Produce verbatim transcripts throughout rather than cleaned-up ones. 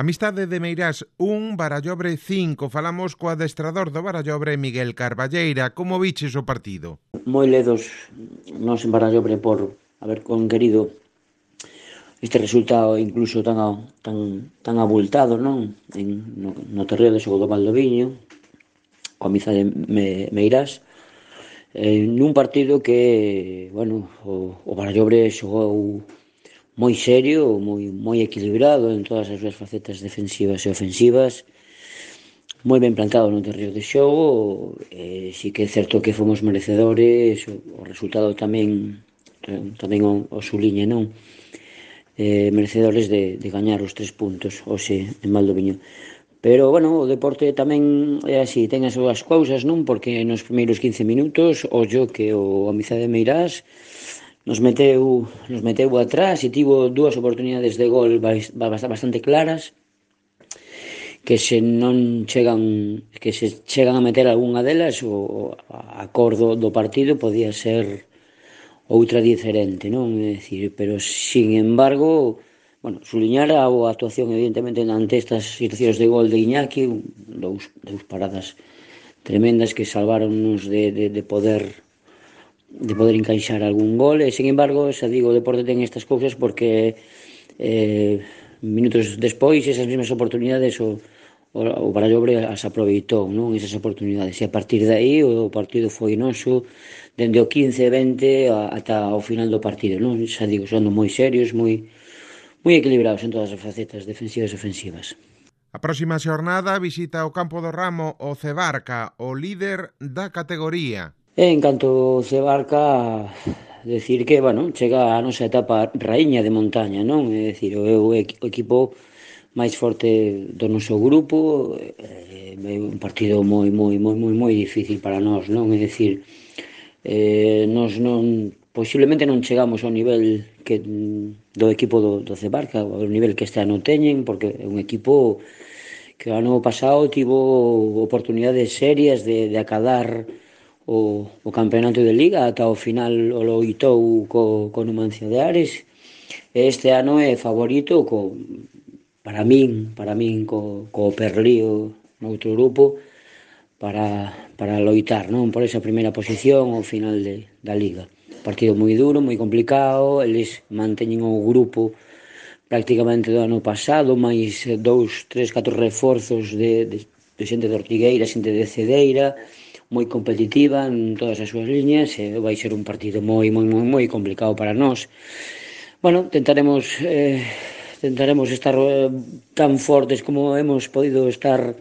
Amistade de Meirás un, Barallobre cinco. Falamos co adestrador do Barallobre, Miguel Carballeira. Como viches o partido? Moi ledos nos en Barallobre por haber conquerido este resultado incluso tan tan tan abultado, non? En, no, no terreo de xogo do Valdoviño, coa Amizade de Meirás, eh, nun partido que, bueno, o, o Barallobre xogou moi serio, moi, moi equilibrado en todas as súas facetas defensivas e ofensivas, moi ben plantado no terreo de xogo, e si que é certo que fomos merecedores, o, o resultado tamén tamén o, o suliña, non? Eh, merecedores de, de gañar os tres puntos hoxe en Valdoviño. Pero, bueno, o deporte tamén é así, ten as súas cousas, non? Porque nos primeiros quince minutos, ollo que o Amizade de Meirás nos meteu, nos meteu atrás e tivo dúas oportunidades de gol bastante claras, que se non chegan que se chegan a meter algunha delas, o a cor do, do partido podía ser outra diferente, non? É dicir, pero, sin embargo, bueno, suliñar a boa actuación, evidentemente, ante estas situacións de gol de Iñaki, dous, dous paradas tremendas que salváronnos de, de, de poder de poder encaixar algún gol, e, sin embargo, xa digo, o deporte ten estas cousas porque eh, minutos despois esas mesmas oportunidades o, o, o Barallobre as aproveitou, non? Esas oportunidades, e a partir de aí o partido foi noso dende o quince vinte ata o final do partido, non? Xa digo, son moi serios, moi moi equilibrados en todas as facetas defensivas e ofensivas. A próxima xornada visita o campo do Ramo o Cebarca, o líder da categoría. E en canto Cebarca, decir que, bueno, chega a nosa etapa raíña de montaña, non? É dicir, o, o equipo máis forte do noso grupo, é un partido moi, moi, moi, moi, moi difícil para nós, non? É dicir, eh, nós non, posiblemente non chegamos ao nivel que do equipo do, do Cebarca, ao nivel que este ano teñen, porque é un equipo que o ano pasado tivo oportunidades serias de, de acadar o, o campeonato de Liga, ata o final o loitou co, co Numancia de Ares, e este ano é favorito co, para min, para min co, co Perlío no outro grupo, para, para loitar, non? Por esa primeira posición ao final de, da Liga. Partido moi duro, moi complicado, eles manteñen o grupo prácticamente do ano pasado, máis dous, tres, catro reforzos de, de, de xente de Ortigueira, xente de Cedeira, moi competitiva en todas as súas liñas, e vai ser un partido moi, moi, moi, moi complicado para nós. Bueno, tentaremos eh, tentaremos estar eh, tan fortes como hemos podido estar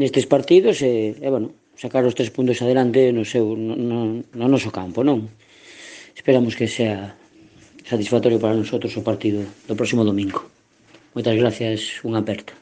nestes partidos e, e bueno, sacar os tres puntos adelante no seu no, no, no noso campo, non? Esperamos que sea satisfactorio para nosotros o partido do próximo domingo. Moitas gracias, unha aperta.